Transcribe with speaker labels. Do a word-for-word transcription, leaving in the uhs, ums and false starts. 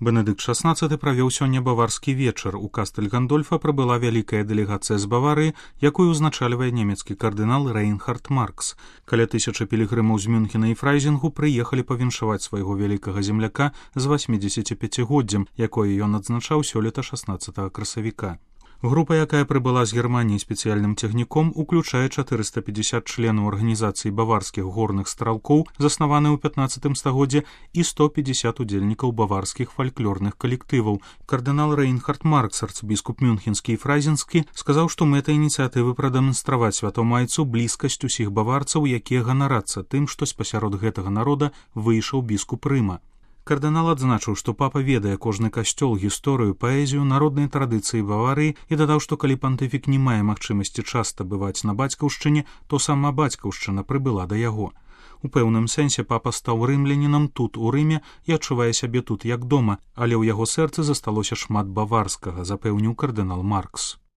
Speaker 1: Бенедыкт шаснаццаты правёў сёння баварскі вечар. У Кастэль Гандольфа прыбыла вялікая дэлегацыя з Баварыі, якую ўзначальвае нямецкі кардынал Рейнхард Маркс. Каля тысячы пілігрымаў з Мюнхена і Фрайзінгу прыехалі павіншаваць свайго вялікага земляка з васьмідзесяціпяцігоддзем, якое ён адзначаў сёлета шаснаццатага красавіка. Група, якая прыбыла з Германіі спецыяльным цягніком, уключае чатырыста пятьдесят членаў арганізацыі баварскіх горных стралкоў, заснаванай у пятнаццатым стагоддзе, і сто пятьдесят удзельнікаў баварскіх фальклорных калектываў. Кардынал Рейнхард Маркс, арцыбіскуп мюнхенскі і фрайзенскі, сказаў, што мэта ініцыятывы прадэманстраваць святому айцу блізкасць усіх баварцаў, якія ганарацца тым, што спасярод гэтага народа выйшаў біскуп Рыма. Кардынал адзначыў, што папа ведае кожны касцёл, гісторыю, паэзію, народныя традыцыі Баварыі і дадаў, што калі пантыфік не мае магчымасці часта бываць на бацькаўшчыне, то сама бацькаўшчына прыбыла да яго. У пэўным сэнсе папа стаў рымлянінам тут, у Рыме, і адчувае сябе тут як дома, але ў яго сэрцы засталося шмат баварскага, запэўніў кардынал Маркс.